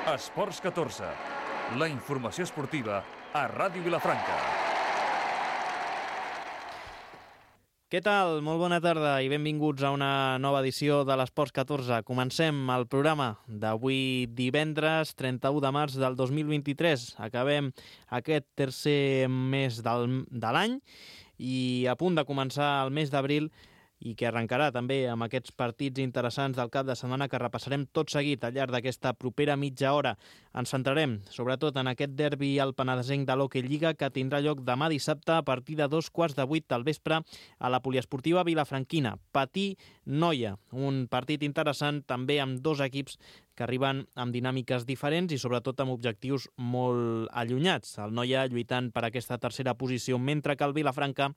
Esports 14, la informació esportiva a Ràdio Vilafranca. Què tal? Molt bona tarda i benvinguts a una nova edició de l'Esports 14. Comencem el programa d'avui divendres 31 de març del 2023. Acabem aquest tercer mes de l'any i a punt de començar el mes d'abril i que arrencarà també amb aquests partits interessants del cap de setmana que repassarem tot seguit al llarg d'aquesta propera mitja hora. Ens centrarem sobretot en aquest derbi al penedesenc de l'Hockey Lliga que tindrà lloc demà dissabte a partir de 2:15 del vespre a la poliesportiva vilafranquina. Patí-Noia, un partit interessant també amb dos equips que arriben amb dinàmiques diferents i sobretot amb objectius molt allunyats. El Noia lluitant per aquesta tercera posició, mentre que el Vilafranca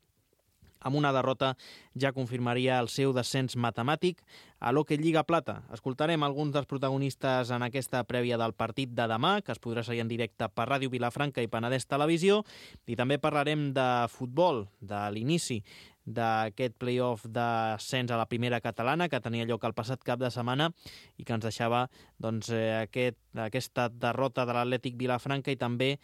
amb una derrota ja confirmaria el seu descens matemàtic a l'Hockey Lliga Plata. Escoltarem alguns dels protagonistes en aquesta prèvia del partit de demà, que es podrà seguir en directe per Ràdio Vilafranca i Penedès Televisió, i també parlarem de futbol, de l'inici d'aquest play-off d'ascens a la primera catalana que tenia lloc el passat cap de setmana i que ens deixava aquesta derrota de l'Atlètic Vilafranca i també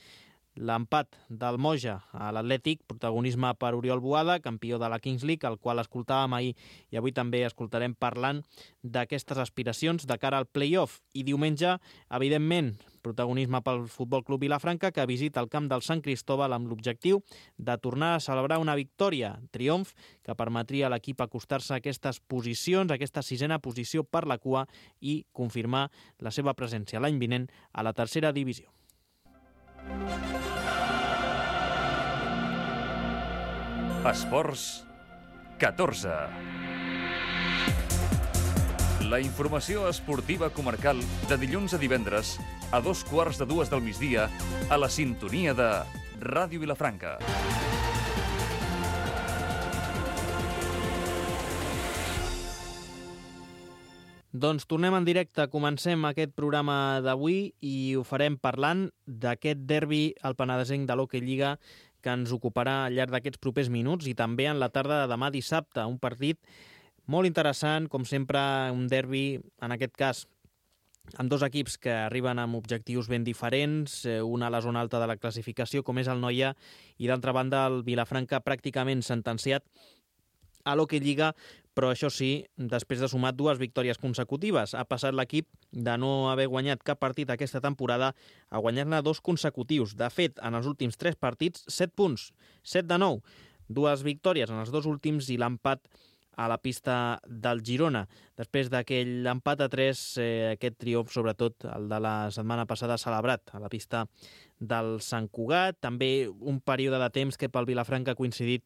l'empat del Moja a l'Atlètic, protagonisme per Oriol Boada, campió de la Kings League, el qual escoltàvem ahir i avui també escoltarem parlant d'aquestes aspiracions de cara al play-off. I diumenge, evidentment, protagonisme pel Futbol Club Vilafranca, que visita el camp del Sant Cristóbal amb l'objectiu de tornar a celebrar una victòria, triomf, que permetria a l'equip acostar-se a aquestes posicions, a aquesta sisena posició per la cua i confirmar la seva presència l'any vinent a la tercera divisió. Esports 14. La informació esportiva comarcal de dilluns a divendres a 2:15 del migdia a la sintonia de Ràdio Vilafranca. Doncs tornem en directe, comencem aquest programa d'avui i ho farem parlant d'aquest derbi al penedesenc de l'Hockey Lliga que ens ocuparà al llarg d'aquests propers minuts i també en la tarda de demà dissabte, un partit molt interessant, com sempre un derbi, en aquest cas amb dos equips que arriben amb objectius ben diferents, un a la zona alta de la classificació com és el Noia i d'altra banda el Vilafranca pràcticament sentenciat a l'Hockey Lliga, però això sí, després de sumar dues victòries consecutives. Ha passat l'equip de no haver guanyat cap partit aquesta temporada a guanyar-ne dos consecutius. De fet, en els últims 3 partits, 7 punts, 7 de 9. Dues victòries en els dos últims i l'empat a la pista del Girona. Després d'aquell empat a 3, aquest triomf, sobretot el de la setmana passada, celebrat a la pista del Sant Cugat. També un període de temps que pel Vilafranca ha coincidit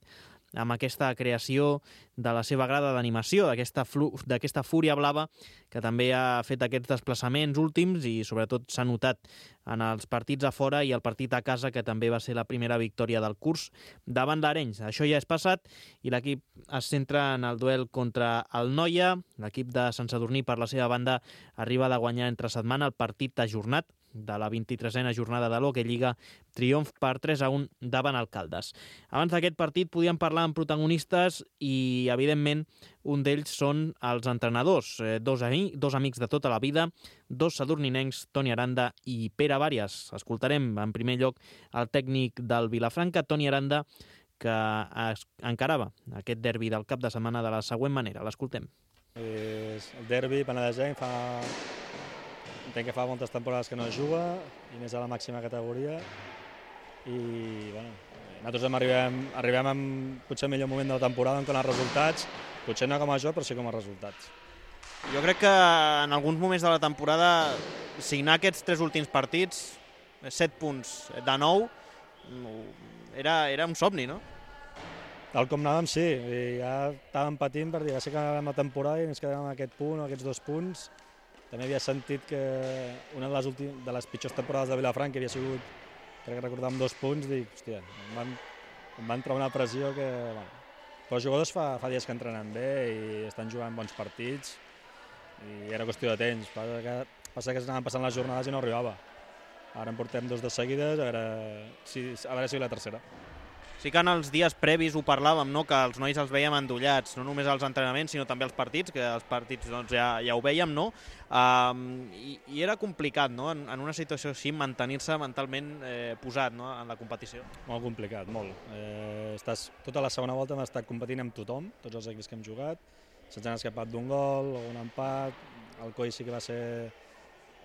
amb aquesta creació de la seva grada d'animació, d'aquesta fúria blava que també ha fet aquests desplaçaments últims i sobretot s'ha notat en els partits a fora i el partit a casa, que també va ser la primera victòria del curs davant l'Arenys. Això ja és passat i l'equip es centra en el duel contra el Noia. L'equip de Sant Sadurní, per la seva banda, arriba de guanyar entre setmana el partit ajornat de la 23a jornada de l'Hockey Lliga, triomf per 3-1 davant el Caldes. Abans d'aquest partit podíem parlar amb protagonistes i, evidentment, un d'ells són els entrenadors, dos amics de tota la vida, dos sadurninencs, Toni Aranda i Pere Vàrias. Escoltarem en primer lloc el tècnic del Vilafranca, Toni Aranda, que encarava aquest derbi del cap de setmana de la següent manera. L'escoltem. El derbi penedesenc entenc que fa moltes temporades que no es juga, i més a la màxima categoria, i bueno, nosaltres arribem en potser el millor moment de la temporada en quant als resultats, potser no com a joc, però sí com a resultats. Jo crec que en alguns moments de la temporada signar aquests 3 últims partits, 7 punts de 9, era un somni, no? Tal com anàvem, sí, ja estàvem patint per dir, ja sé que acabem la temporada i ens quedem amb aquest punt o aquests 2 punts. També havia sentit que una de les pitjors temporades de Vilafranca havia sigut, crec que recordàvem 2 punts, dic, hòstia, em van treure una pressió que... Bueno. Però els jugadors fa dies que entrenen bé i estan jugant bons partits i era qüestió de temps. Passa que s'anaven passant les jornades i no arribava. Ara en portem 2 de seguides, a veure si la tercera. Sí que en els dies previs ho parlàvem, no? Que els nois els veiem endollats, no només als entrenaments, sinó també als partits, que els partits doncs, ja ho veiem, no? I era complicat, no? En una situació així, mantenir-se mentalment posat, no? En la competició. Molt complicat, molt. Tota la segona volta hem estat competint amb tothom, tots els equips que hem jugat, se'ns han escapat d'un gol o un empat, el Coi sí que va ser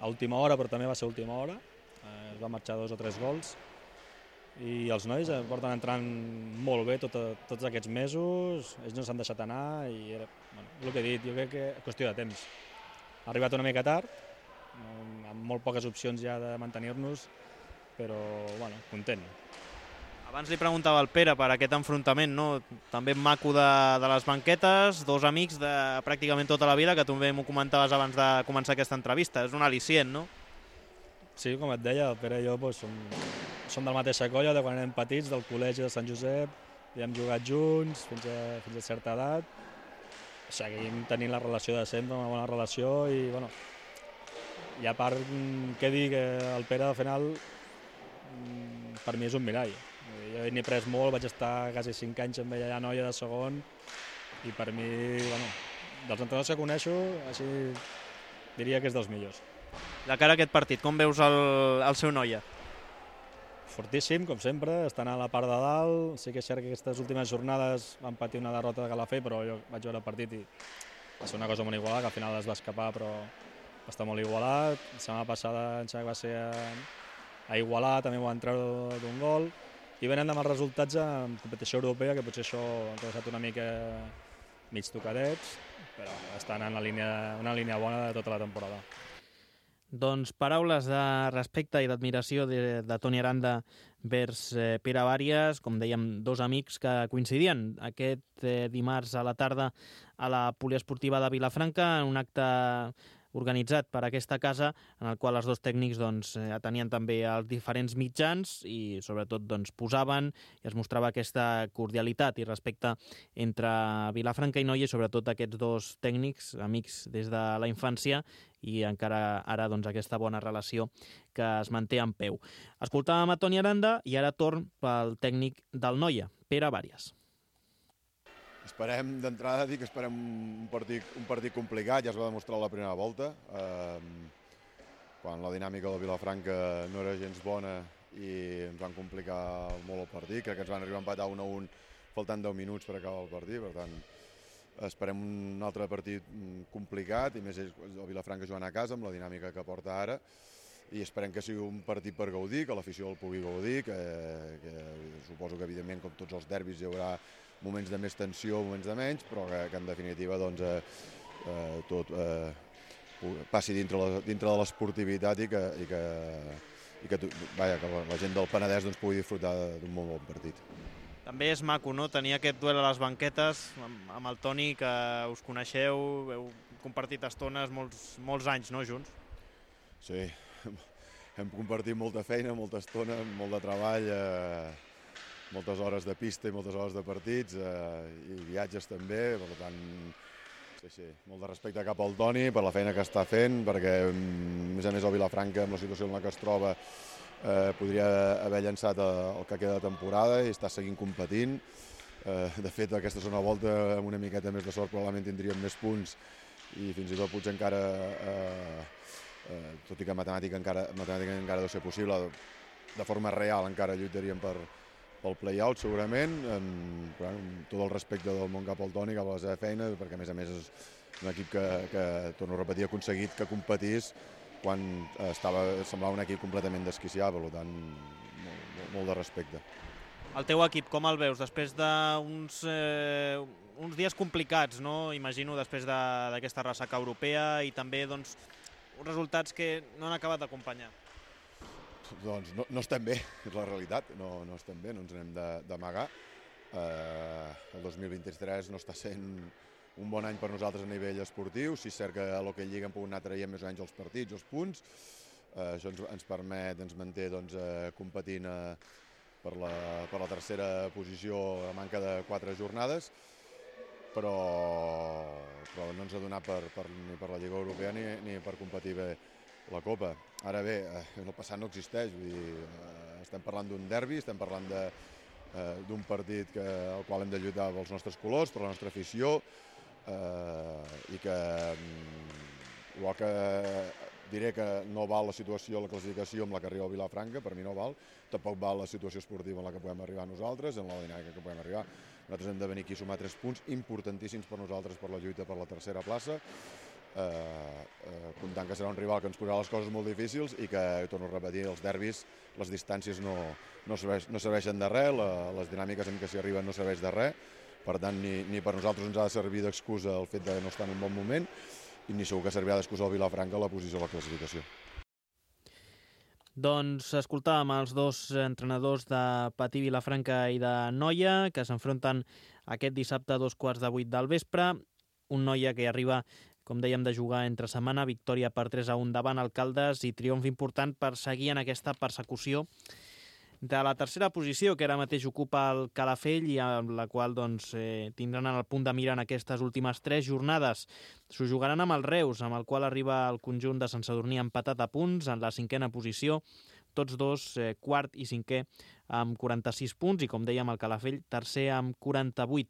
a última hora, però també va ser a última hora, es va marxar 2 o 3 gols, i els nois porten entrant molt bé tots aquests mesos, ells no s'han deixat anar i era, el que he dit, jo crec que és qüestió de temps. Ha arribat una mica tard, amb molt poques opcions ja de mantenir-nos, però content. Abans li preguntava al Pere per aquest enfrontament, no? També maco de les banquetes, 2 amics de pràcticament tota la vida, que també m'ho comentaves abans de començar aquesta entrevista, és un al·licient, no? Sí, com et deia, el Pere i jo som de la mateixa colla, de quan érem petits, del col·legi de Sant Josep, i hem jugat junts fins a certa edat. Seguim tenint la relació de sempre, una bona relació, i a part, què dir, que el Pere al final per mi és un mirall. Jo n'he pres molt, vaig estar quasi 5 anys amb ella a Noia de segon, i per mi, dels entrenadors que coneixo, així diria que és dels millors. De cara a aquest partit, com veus el seu Noia? Fortíssim, com sempre, estan a la part de dalt. Sí que és cert que aquestes últimes jornades van patir una derrota de Calafell, però jo vaig veure el partit i va ser una cosa molt igualada, que al final es va escapar, però va estar molt igualat. La setmana passada em sembla que va ser a Igualà, també ho van treure d'un gol. I venen amb els resultats en competició europea, que potser això han deixat una mica mig tocadets, però estan en una línia bona de tota la temporada. Doncs paraules de respecte i d'admiració de Toni Aranda vers Pere Bàries, com dèiem, 2 amics que coincidien aquest dimarts a la tarda a la poliesportiva de Vilafranca en un acte organitzat per aquesta casa, en el qual els 2 tècnics atenien també els diferents mitjans i sobretot posaven i es mostrava aquesta cordialitat i respecte entre Vilafranca i Noia, i sobretot aquests 2 tècnics, amics des de la infància, i encara ara aquesta bona relació que es manté en peu. Escoltàvem a Toni Aranda i ara torn pel tècnic del Noia, Pere Bàries. Esperem, d'entrada, dir que esperem un partit complicat, ja es va demostrar la primera volta, quan la dinàmica del Vilafranca no era gens bona i ens van complicar molt el partit. Crec que ens van arribar a empatar 1-1 faltant 10 minuts per acabar el partit, per tant, esperem un altre partit complicat, i més el Vilafranca jugant a casa amb la dinàmica que porta ara, i esperem que sigui un partit per gaudir, que l'afició el pugui gaudir, que suposo que evidentment com tots els derbis hi haurà moments de més tensió, moments de menys, però que en definitiva tot passi dintre de l'esportivitat i que la gent del Penedès pugui disfrutar d'un molt bon partit. També és maco, no?, tenir aquest duel a les banquetes amb el Toni, que us coneixeu, heu compartit estones molts anys, no?, junts. Sí, hem compartit molta feina, molta estona, molt de treball, moltes hores de pista i moltes hores de partits, i viatges també, per tant, sí, molt de respecte cap al Toni per la feina que està fent, perquè a més el Vilafranca, amb la situació en la que es troba, podria haver llançat el que queda de temporada i està seguint competint. De fet, aquesta segona volta, amb una miqueta més de sort, probablement tindríem més punts i fins i tot potser encara, tot i que matemàtica encara deu ser possible, de forma real encara lluitaríem pel play-out segurament, amb tot el respecte del món cap al Toni, cap a la seva feina, perquè a més és un equip que, torno a repetir, ha aconseguit que competís quan semblava un equip completament desquiciat, per tant, molt de respecte. El teu equip, com el veus? Després d'uns dies complicats, no? Imagino, després d'aquesta ressaca europea i també uns resultats que no han acabat d'acompanyar. Doncs no estem bé, és la realitat, no estem bé, no ens n'hem d'amagar. El 2023 no està sent un bon any per nosaltres a nivell esportiu. Sí, és cert que a l'Hockey Lliga hem pogut anar traient més o menys els partits, els punts. Això ens manté competint per la tercera posició a manca de 4 jornades, però no ens ha donat ni per la Lliga Europea ni per competir bé la Copa. Ara bé, el passat no existeix, vull dir, estem parlant d'un derbi, estem parlant d'un partit al qual hem de lluitar pels nostres colors, per la nostra afició, i que igual que diré que no val la situació, la classificació amb la que arriba el Vilafranca, per mi no val, tampoc val la situació esportiva en la que podem arribar nosaltres, en la dinàmica que podem arribar. Nosaltres hem de venir aquí a sumar 3 punts importantíssims per nosaltres per la lluita per la tercera plaça, comptant que serà un rival que ens posarà les coses molt difícils i que, torno a repetir, els derbis, les distàncies no serveixen de res, les dinàmiques en què s'hi arriben no serveix de res, per tant ni per nosaltres ens ha de servir d'excusa el fet de no estar en un bon moment i ni segur que servirà d'excusa al Vilafranca la posició de la classificació. Doncs escoltàvem els dos entrenadors de Patí Vilafranca i de Noia, que s'enfronten aquest dissabte a 7:15 del vespre. Un Noia que arriba, com dèiem, de jugar entre setmana, victòria per 3-1 davant Alcaldes i triomf important per seguir en aquesta persecució de la tercera posició que ara mateix ocupa el Calafell i amb la qual tindran el punt de mira en aquestes últimes 3 jornades. S'ho jugaran amb el Reus, amb el qual arriba el conjunt de Sant Sadurní empatat a punts en la 5a posició, tots dos, quart i 5è, amb 46 punts i, com dèiem, el Calafell tercer amb 48.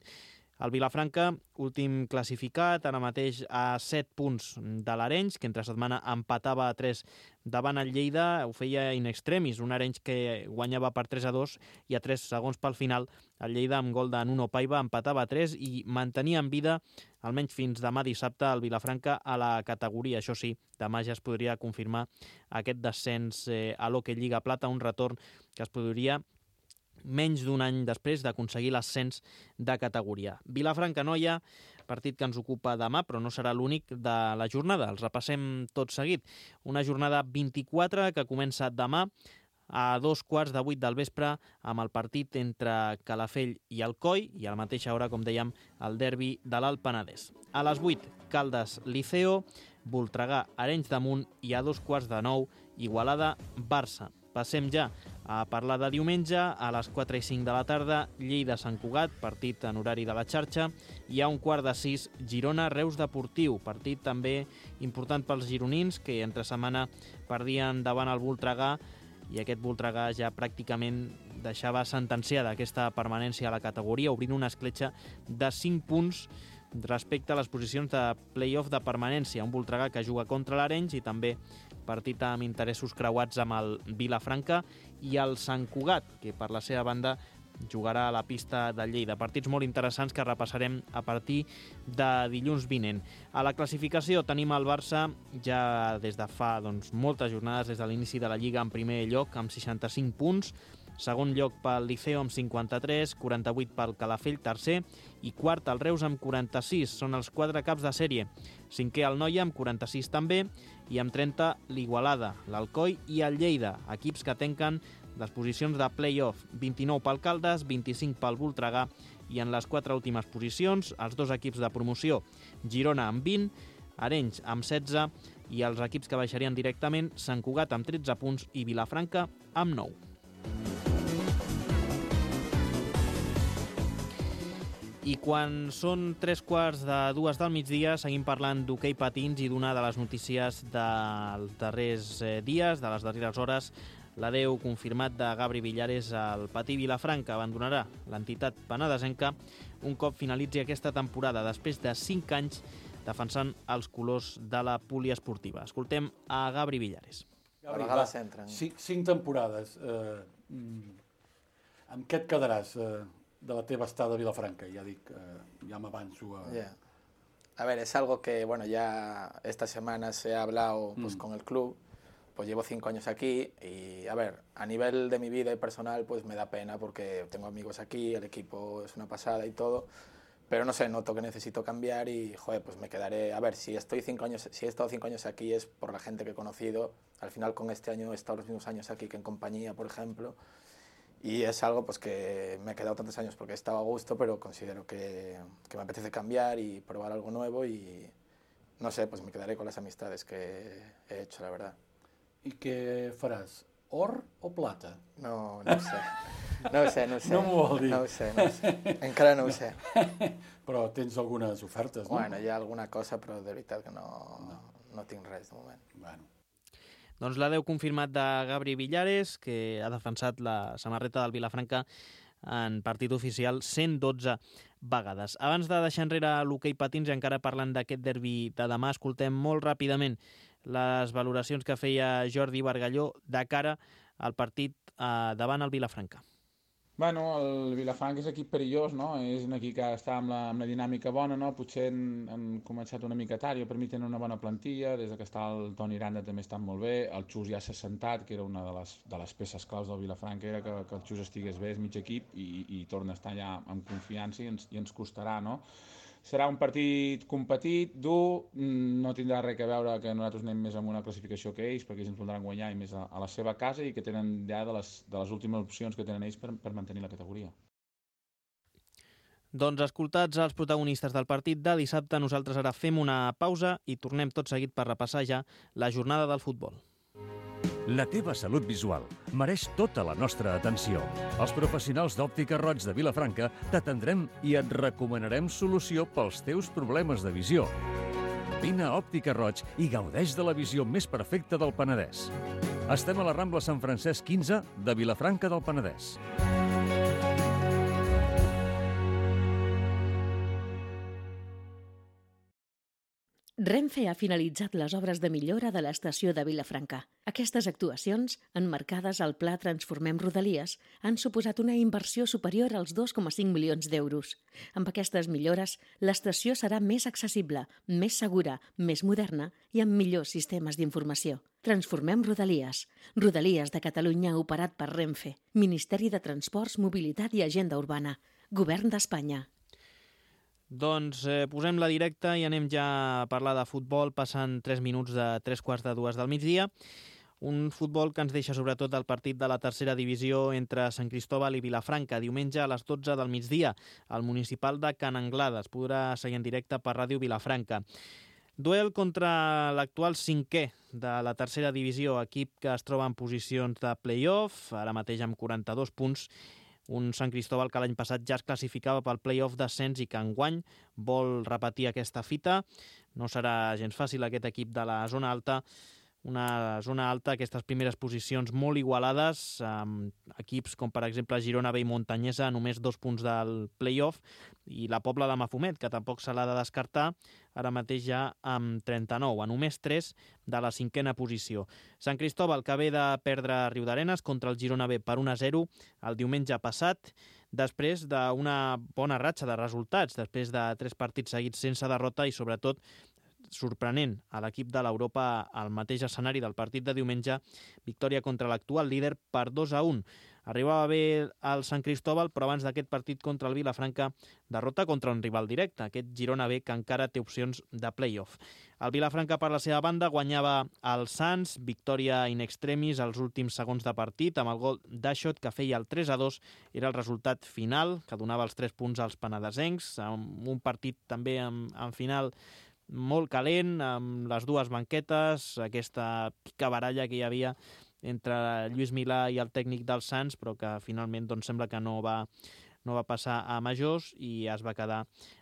El Vilafranca, últim classificat, ara mateix a 7 punts de l'Arenys, que entre setmana empatava a 3 davant el Lleida, ho feia in extremis, un Arenys que guanyava per 3-2 i a 3 segons pel final el Lleida amb gol de Nuno Paiva empatava a 3 i mantenia en vida, almenys fins demà dissabte, el Vilafranca a la categoria. Això sí, demà ja es podria confirmar aquest descens a l'Hockey Lliga Plata, un retorn que es podria menys d'un any després d'aconseguir l'ascens de categoria. Vilafranca-Noia, partit que ens ocupa demà, però no serà l'únic de la jornada. Els repassem tot seguit. Una jornada 24 que comença demà a 7:15 del vespre amb el partit entre Calafell i Alcoi i a la mateixa hora, com dèiem, el derbi de l'Alt Penedès. A les 8, Caldes-Liceo, Voltregà, Arenys de Munt i a 8:15 Igualada-Barça. Passem ja a parlar de diumenge, a les 4:05 de la tarda, Lleida-Sant Cugat, partit en horari de la xarxa, i a 5:15 Girona-Reus Deportiu, partit també important pels gironins, que entre setmana perdien davant el Voltregà, i aquest Voltregà ja pràcticament deixava sentenciada aquesta permanència a la categoria, obrint una escletxa de 5 punts respecte a les posicions de play-off de permanència. Un Voltregà que juga contra l'Arenys i també partit amb interessos creuats amb el Vilafranca i el Sant Cugat, que per la seva banda jugarà a la pista de Lleida. Partits molt interessants que repassarem a partir de dilluns vinent. A la classificació tenim el Barça ja des de fa moltes jornades, des de l'inici de la Lliga, en primer lloc amb 65 punts, segon lloc pel Liceo amb 53, 48 pel Calafell, tercer, i quart el Reus amb 46. Són els 4 caps de sèrie. Cinquè el Noia amb 46 també, i amb 30 l'Igualada, l'Alcoi i el Lleida, equips que tanquen les posicions de play-off. 29 pel Caldes, 25 pel Voltregà, i en les 4 últimes posicions els 2 equips de promoció, Girona amb 20, Arenys amb 16, i els equips que baixarien directament, Sant Cugat amb 13 punts i Vilafranca amb 9. I quan són 3:15 del migdia seguim parlant d'hoquei patins i d'una de les notícies dels darrers dies, de les darreres hores. L'adeu confirmat de Gabri Villares al Patí Vilafranca. Abandonarà l'entitat penedesenca un cop finalitzi aquesta temporada, després de 5 anys defensant els colors de la poliesportiva. Escoltem a Gabri Villares. Gabri, va, 5 temporades. Amb què et quedaràs de la teva estada a Vilafranca? Ja dic, ya me avanzo a... Yeah. A ver, es algo que, bueno, ya esta semana se ha hablado pues, con el club. Pues llevo 5 años aquí y, a ver, a nivel de mi vida y personal, pues me da pena porque tengo amigos aquí, el equipo es una pasada y todo, pero no sé, noto que necesito cambiar y, joder, pues me quedaré... A ver, si he estado 5 años aquí es por la gente que he conocido. Al final, con este año he estado los mismos años aquí que en compañía, por ejemplo. Y es algo pues que me he quedado tantos años porque he estado a gusto, pero considero que me apetece cambiar y probar algo nuevo y, no sé, pues me quedaré con las amistades que he hecho, la verdad. I què faràs? Or o plata? No ho sé. No ho sé. No m'ho vol dir. No ho sé. Encara no ho sé. Però tens algunes ofertes, no? Bueno, hi ha alguna cosa, però de veritat que no tinc res de moment. Bueno. Doncs l'adeu confirmat de Gabri Villares, que ha defensat la samarreta del Vilafranca en partit oficial 112 vegades. Abans de deixar enrere l'hoquei patins i encara parlant d'aquest derbi de demà, escoltem molt ràpidament les valoracions que feia Jordi Bargalló de cara al partit davant el Vilafranca. Bueno, el Vilafranca és equip perillós, no? És un equip que està amb la dinàmica bona, no? Potser han començat una mica tard, jo per mi tenen una bona plantilla, des que està el Toni Aranda també està molt bé, el Xus ja s'ha assentat, que era una de les peces claus del Vilafranca, era que el Xus estigués bé, és mig equip, i torna a estar ja amb confiança i ens costarà, no? Serà un partit competit, dur, no tindrà res a veure que nosaltres anem més amb una classificació que ells, perquè ells ens voldran guanyar i més a la seva casa, i que tenen ja de les últimes opcions que tenen ells per mantenir la categoria. Doncs escoltats els protagonistes del partit de dissabte, nosaltres ara fem una pausa i tornem tot seguit per repassar ja la jornada del futbol. La teva salut visual mereix tota la nostra atenció. Els professionals d'Òptica Roig de Vilafranca t'atendrem i et recomanarem solució pels teus problemes de visió. Vine a Òptica Roig i gaudeix de la visió més perfecta del Penedès. Estem a la Rambla Sant Francesc 15 de Vilafranca del Penedès. Renfe ha finalitzat les obres de millora de l'estació de Vilafranca. Aquestes actuacions, emmarcades al Pla Transformem Rodalies, han suposat una inversió superior als 2,5 milions d'euros. Amb aquestes millores, l'estació serà més accessible, més segura, més moderna i amb millors sistemes d'informació. Transformem Rodalies. Rodalies de Catalunya operat per Renfe. Ministeri de Transports, Mobilitat i Agenda Urbana. Govern d'Espanya. Doncs posem la directa i anem ja a parlar de futbol, passant 3 minuts de 3:45 del migdia. Un futbol que ens deixa sobretot el partit de la tercera divisió entre Sant Cristóbal i Vilafranca, diumenge a les 12 del migdia, al municipal de Can Anglada. Es podrà seguir en directe per Ràdio Vilafranca. Duel contra l'actual cinquè de la tercera divisió, equip que es troba en posicions de play-off, ara mateix amb 42 punts, un Sant Cristóbal que l'any passat ja es classificava pel play-off d'ascens i que enguany vol repetir aquesta fita. No serà gens fàcil aquest equip de la zona alta, una zona alta, aquestes primeres posicions molt igualades, amb equips com per exemple Girona B i Montanyesa a només 2 punts del play-off, i la Pobla de Mafumet, que tampoc se l'ha de descartar, ara mateix ja amb 39, a només 3 de la 5a posició. Sant Cristóbal, que ve de perdre a Riudarenes contra el Girona B per 1-0 el diumenge passat, després d'una bona ratxa de resultats, després de 3 partits seguits sense derrota i sobretot sorprenent a l'equip de l'Europa al mateix escenari del partit de diumenge, victòria contra l'actual líder per 2-1. Arribava bé el Sant Cristóbal, però abans d'aquest partit contra el Vilafranca, derrota contra un rival directe, aquest Girona B, que encara té opcions de play-off. El Vilafranca, per la seva banda, guanyava el Sants, victòria in extremis als últims segons de partit, amb el gol d'Aixot, que feia el 3-2, era el resultat final, que donava els 3 punts als penedesencs, amb un partit també en final molt calent, amb les dues banquetes, aquesta picabaralla que hi havia entre Lluís Milà i el tècnic del Sants, però que finalment doncs, sembla que no va passar a majors i es va quedar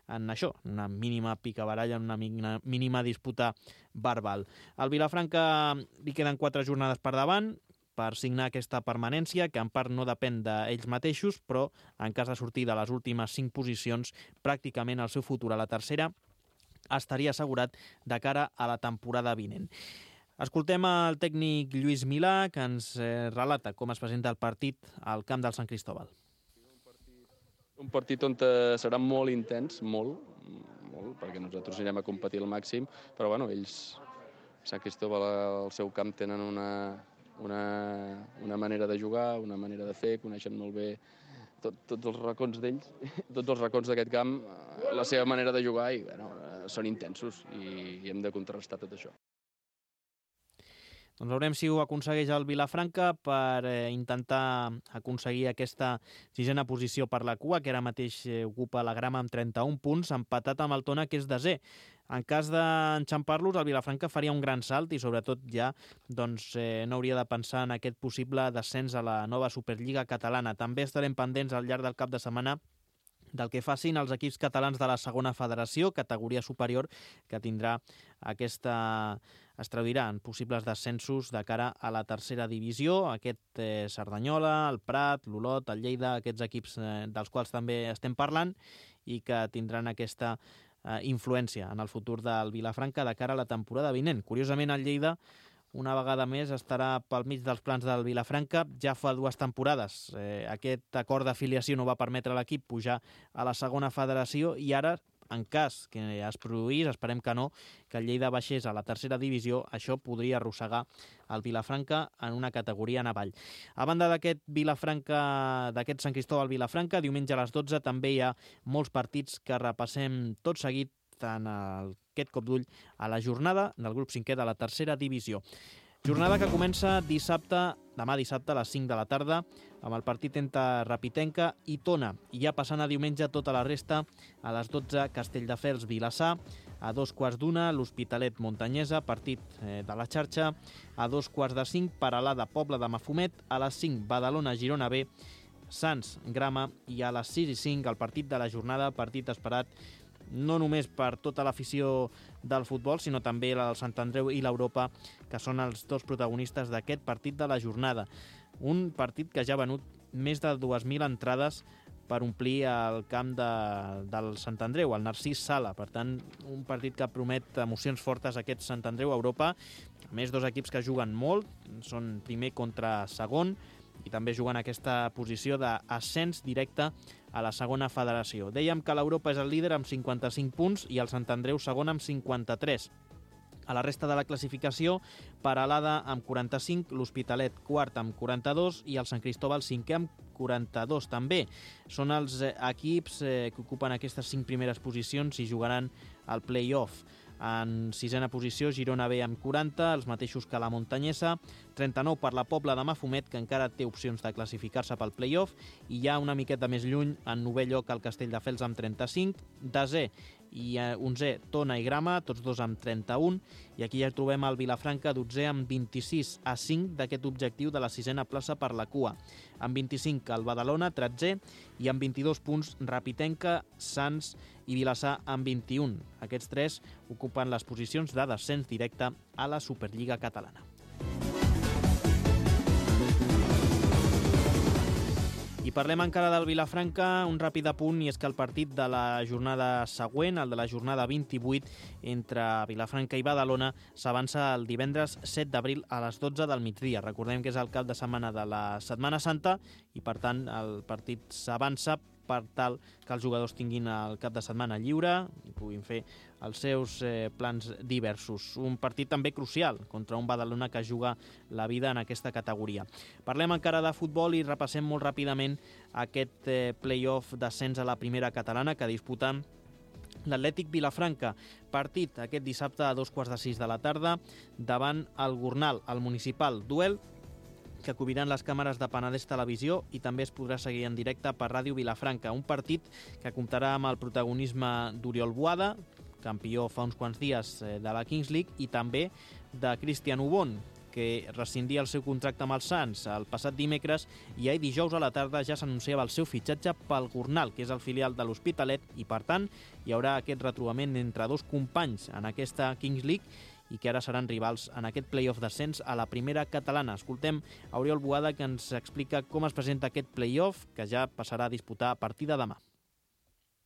en això, una mínima picabaralla, una mínima disputa verbal. Al Vilafranca li queden 4 jornades per davant per signar aquesta permanència, que en part no depèn d'ells mateixos, però en cas de sortir de les últimes 5 posicions, pràcticament el seu futur a la tercera estaria assegurat de cara a la temporada vinent. Escoltem el tècnic Lluís Milà, que ens relata com es presenta el partit al camp del Sant Cristóbal. Un partit on serà molt intens, molt, perquè nosaltres anirem a competir al màxim, però bueno, ells, Sant Cristóbal, al seu camp tenen una manera de jugar, una manera de fer, coneixen molt bé tots els racons d'ells, tots els racons d'aquest camp, la seva manera de jugar, i bueno, són intensos i hem de contrastar tot això. Doncs veurem si ho aconsegueix el Vilafranca per intentar aconseguir aquesta 6a posició per la cua, que ara mateix ocupa la grama amb 31 punts, empatat amb el Tona, que és desè. En cas d'enxampar-los, el Vilafranca faria un gran salt i sobretot ja no hauria de pensar en aquest possible descens a la nova Superliga catalana. També estarem pendents al llarg del cap de setmana del que facin els equips catalans de la segona federació, categoria superior, que tindrà es traduiran possibles descensos de cara a la tercera divisió. Aquest Cerdanyola, el Prat, l'Olot, el Lleida, aquests equips dels quals també estem parlant i que tindran aquesta influència en el futur del Vilafranca de cara a la temporada vinent. Curiosament, el Lleida una vegada més estarà pel mig dels plans del Vilafranca. Ja fa 2 temporades aquest acord d'afiliació no va permetre a l'equip pujar a la segona federació i ara, en cas que es produís, esperem que no, que el Lleida baixés a la tercera divisió, això podria arrossegar el Vilafranca en una categoria en avall. A banda d'aquest Sant Cristòbal Vilafranca, diumenge a les 12 també hi ha molts partits que repassem tot seguit en aquest cop d'ull a la jornada del grup 5è de la tercera divisió. Jornada que comença demà dissabte a les 5 de la tarda amb el partit entre Rapitenca i Tona. I ja passant a diumenge tota la resta, a les 12 Castelldefels Vilassar, a 2:15 l'Hospitalet Montanyesa, partit de la xarxa, a 4:45 Peralada Pobla de Mafumet, a les 5 Badalona Girona B, Sants Grama i a les 6:05 el partit de la jornada, partit esperat no només per tota l'afició del futbol, sinó també la del Sant Andreu i l'Europa, que són els 2 protagonistes d'aquest partit de la jornada. Un partit que ja ha venut més de 2.000 entrades per omplir el camp del Sant Andreu, el Narcís Sala. Per tant, un partit que promet emocions fortes, aquest Sant Andreu-Europa. A més, 2 equips que juguen molt, són primer contra segon, i també juguen aquesta posició d'ascens directe a la segona federació. Dèiem que l'Europa és el líder amb 55 punts i el Sant Andreu segon amb 53. A la resta de la classificació, Peralada amb 45, l'Hospitalet quart amb 42 i el Sant Cristòbal 5è amb 42 també. Són els equips que ocupen aquestes 5 primeres posicions i jugaran al play-off. En 6a posició, Girona B amb 40, els mateixos que la Montanyesa, 39 per la Pobla de Mafumet, que encara té opcions de classificar-se pel play-off, i ja una miqueta més lluny, en 9è lloc, el Castelldefels amb 35, 10è i 11è Tona i Grama, tots 2 amb 31, i aquí ja trobem el Vilafranca 12è amb 26 a 5 d'aquest objectiu de la 6a plaça per la cua. Amb 25 el Badalona, 13è, i amb 22 punts Rapitenca, Sants i Vilassar amb 21. Aquests 3 ocupen les posicions de descens directe a la Superliga catalana. I parlem encara del Vilafranca, un ràpid apunt, i és que el partit de la jornada següent, el de la jornada 28, entre Vilafranca i Badalona, s'avança el divendres 7 d'abril a les 12 del migdia. Recordem que és el cap de setmana de la Setmana Santa i, per tant, el partit s'avança per tal que els jugadors tinguin el cap de setmana lliure i puguin fer els seus plans diversos. Un partit també crucial contra un Badalona que juga la vida en aquesta categoria. Parlem encara de futbol i repassem molt ràpidament aquest play-off d'ascens a la primera catalana que disputa l'Atlètic Vilafranca. Partit aquest dissabte a 2:15 de la tarda davant el Gornal, el municipal. Duel que acubiran les càmeres de Penedès Televisió i també es podrà seguir en directe per Ràdio Vilafranca. Un partit que comptarà amb el protagonisme d'Oriol Boada, campió fa uns quants dies de la Kings League, i també de Cristian Ubon, que rescindia el seu contracte amb els Sants el passat dimecres, i ahir dijous a la tarda ja s'anunciava el seu fitxatge pel Gornal, que és el filial de l'Hospitalet, i per tant hi haurà aquest retrobament entre 2 companys en aquesta Kings League i que ara seran rivals en aquest play-off d'ascens a la primera catalana. Escoltem a Oriol Boada, que ens explica com es presenta aquest play-off, que ja passarà a disputar a partir de demà.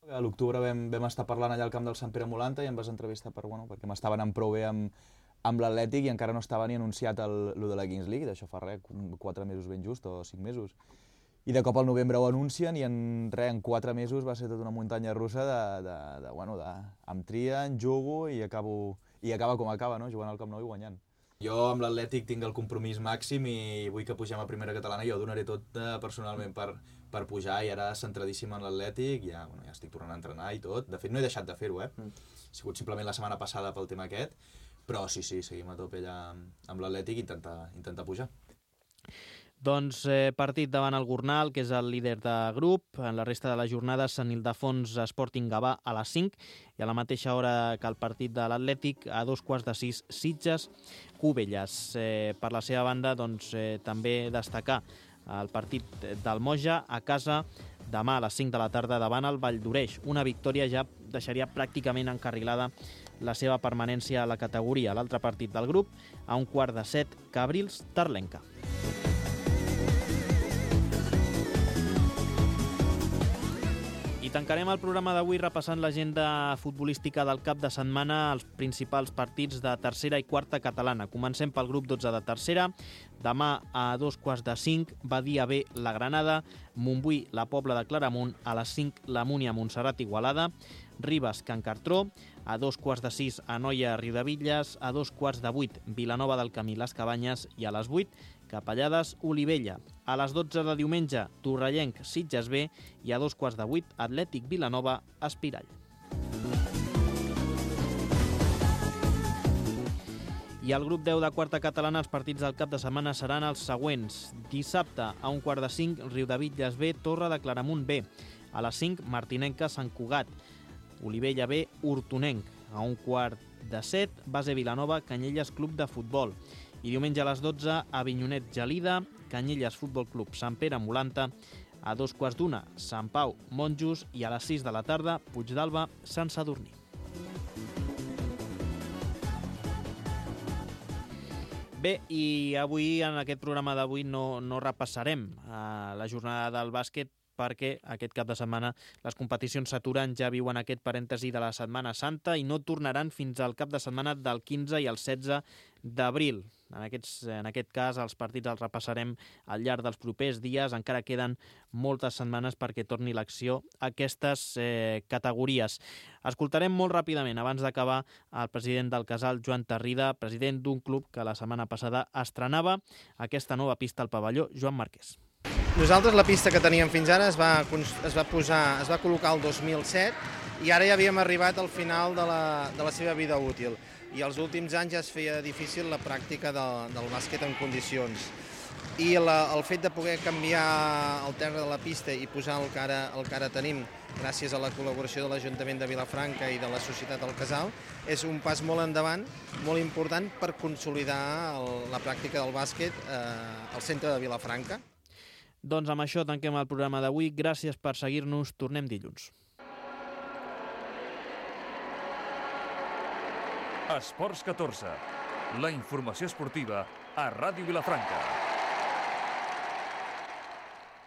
A l'octubre vam estar parlant allà al camp del Sant Pere Molanta i em vas entrevistar perquè m'estava anant prou bé amb l'Atlètic i encara no estava ni anunciat el de la Kings League, d'això fa 4 mesos ben just, o 5 mesos. I de cop al novembre ho anuncien i en 4 mesos va ser tota una muntanya russa em trien, jugo i acaba com acaba, no? Jugant al Camp Nou i guanyant. Jo amb l'Atlètic tinc el compromís màxim i vull que pugem a primera catalana i jo donaré tot personalment per pujar, i ara centradíssim en l'Atlètic, ja estic tornant a entrenar i tot. De fet no he deixat de fer-ho, Ha sigut simplement la setmana passada pel tema aquest, però sí, seguim a tope allà amb l'Atlètic i intentar pujar. Doncs partit davant el Gornal, que és el líder de grup. En la resta de la jornada, Sant Ildefons Sporting Gavà a les 5 i a la mateixa hora que el partit de l'Atlètic, a 5:15, Sitges Cubelles. Per la seva banda, també destacar el partit del Moja a casa demà a les 5 de la tarda davant el Valldoreix. Una victòria ja deixaria pràcticament encarrilada la seva permanència a la categoria. L'altre partit del grup, a 6:45, Cabrils-Terlenca. I tancarem el programa d'avui repassant l'agenda futbolística del cap de setmana, els principals partits de tercera i quarta catalana. Comencem pel grup 12 de tercera. Demà a 2:45, Badia B, la Granada, Montbui, la Pobla de Claramunt, a les 5, la Múnia, Montserrat, Igualada, Ribes, Can Cartró, a 2:45, Anoia, Riudebitlles, a 7:45, Vilanova del Camí, Les Cabanyes, i a les 8, Capellades, Olivella. A les 12 de diumenge, Torrellenc, Sitges B, i a 7:15, Atlètic Vilanova, Espirall. I al grup 10 de quarta catalana, els partits del cap de setmana seran els següents. Dissabte, a 1:45, Riudebitlles B, Torre de Claramunt B. A les 5, Martinenca, Sant Cugat, Olivella B, Hortonenc. A 6:45, Base Vilanova, Canyelles Club de Futbol. I diumenge a les 12, Avinyonet Gelida, Canyelles Futbol Club, Sant Pere Molanta. A 2:15, Sant Pau Monjos, i a les 6 de la tarda, Puigdàlber, Sant Sadurní. Bé, i avui, en aquest programa d'avui, no repassarem la jornada del bàsquet, perquè aquest cap de setmana les competicions s'aturen, ja viuen aquest parèntesi de la Setmana Santa i no tornaran fins al cap de setmana del 15 i el 16 d'abril. En aquest cas, els partits els repassarem al llarg dels propers dies. Encara queden moltes setmanes perquè torni l'acció a aquestes categories. Escoltarem molt ràpidament, abans d'acabar, el president del Casal, Joan Tarrida, president d'un club que la setmana passada estrenava aquesta nova pista al pavelló, Joan Marquès. Nosaltres la pista que teníem fins ara es va col·locar el 2007 i ara ja havíem arribat al final de la seva vida útil. I els últims anys ja es feia difícil la pràctica del bàsquet en condicions. I el fet de poder canviar el terra de la pista i posar el que ara tenim, gràcies a la col·laboració de l'Ajuntament de Vilafranca i de la Societat del Casal, és un pas molt endavant, molt important per consolidar la pràctica del bàsquet al centre de Vilafranca. Doncs amb això tanquem el programa d'avui. Gràcies per seguir-nos. Tornem dilluns. Esports 14. La informació esportiva a Ràdio Vilafranca.